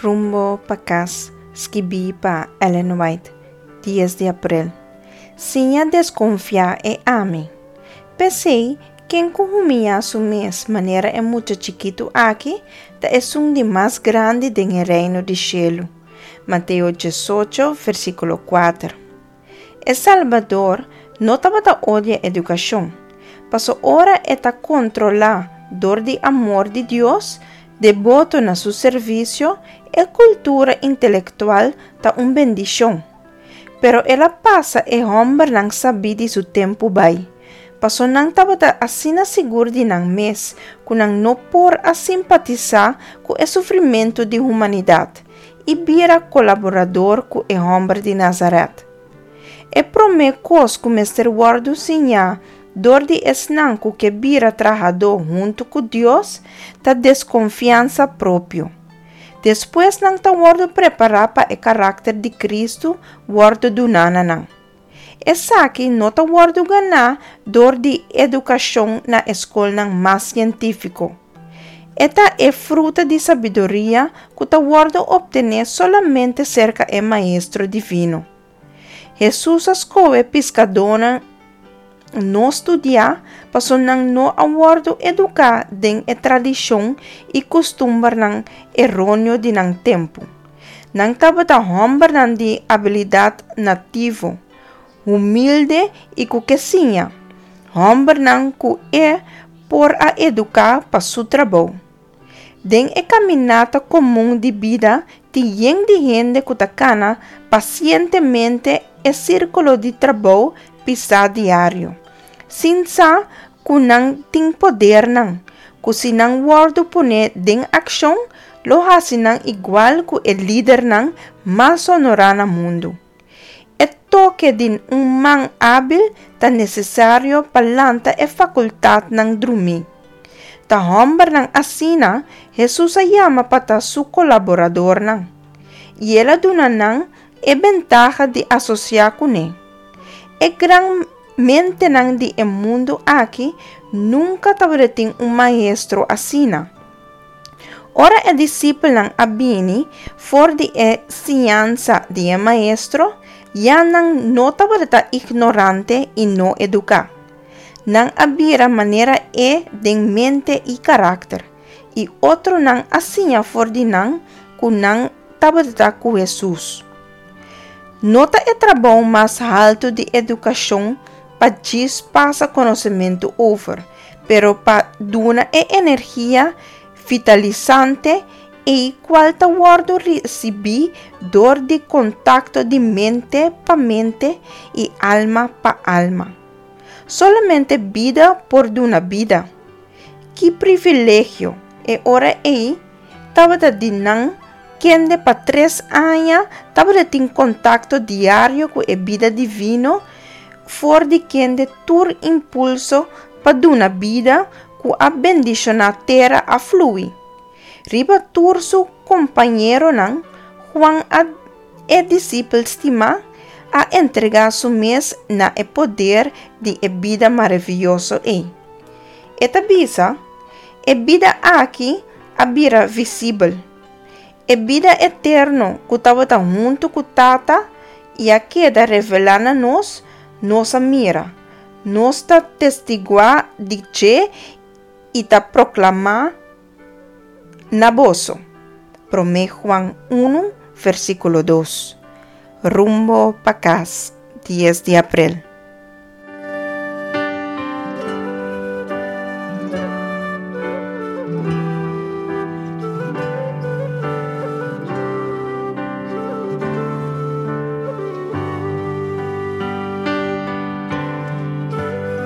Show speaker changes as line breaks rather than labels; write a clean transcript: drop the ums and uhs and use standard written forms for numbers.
Rumbo pa Kas, skibí pa Ellen White, dies di aprel. Siña deskonfiá e ami. P'esei, ken ku humiyá su mes manera e mucha chikitu aki, ta esun di mas grandi den e Reino di shelu. Mateo diesocho, versíkulo kuater. E Salbador no tabata odia edukashon, paso ora e ta kontrolá dor di amor di Dios, deboto na su servisio, e kultura intelektual ta un bendishon. Pero el a pasa e hòmbernan sabí di su tempu bai, paso nan tabata asina sigur di nan mes ku nan no por a simpatisá ku e sufrimentu di humanidat i bira kolaborador ku e hòmber di Nazaret. E promé kos ku mester wòrdu siñá dor di esnan ku ke bira trahadó huntu ku Dios ta deskonfiansa propio. Despues nan ta wòrdu prepará pa e karakter di Kristu wòrdu duná na nan. Esaki no ta wòrdu ganá dor di edukashon na e skolnan mas sientífiko. E ta e fruta di sabiduria ku ta wòrdu optené solamente serka e Maestro Divino. Hesus a skohe piskadónan no studiá pasobra nan no a wòrdu eduká den e tradishon i kustumbernan eróneo di nan tempu. Nan tabata hòmbernan di abilidat nativo, humilde i ku ke siña, hòmbernan ku e por a eduká pa su trabou. Den e kaminata komun di bida tin yen di hende ku ta kana pasientemente e sírkulo di trabou pisá diario, sin sa ku nan tin podernan ku si nan wòrdu pone den akshon lo hasi nan igual ku e lidernan mas honorá na mundu. E toke di un man ábil ta nesesario pa lanta e fakultatnan drumí. Ta hòmbernan asina Hesus a yama pa ta su kolaboradornan, i el a duna nan e bentaha di asosiá kuné. E gran mentenan di e mundu aki nunka tabatin un maestro asina. Ora e disipelnan a bini for di e siñansa di e maestro, ya nan no tabata ignorante i no eduká. Nan a bira manera e den mente i karakter, i otronan a siña for di nan ku nan tabata ku Hesus. No ta e trabou mas haltu di edukashon pa djis pasa konosementu over, pero pa duna e energia vitalisante ei kual ta wòrdu risibí dor di kontakto di mente pa mente i alma pa alma. Solamente bida por duna bida. Ki privilegio e ora ei tabata di nan kende pa tres aña tabata tin kontakto diario ku e bida divino for di kende tur impulso pa duna bida ku a bendishoná tera a flui. Riba tur su kompañeronan, Juan a e disipel stimá a entregá su mes na e poder di e bida maravioso ei. E ta bisa, E bida aki a bira visibel. E bida eterno ku tabata huntu ku Tata i a keda revelá na nos, nos a mira. Nos ta testiguá di dje i ta proklamá na boso. Promé Juan unu, versíkulo dos. Rumbo pa kas, dies di aprel.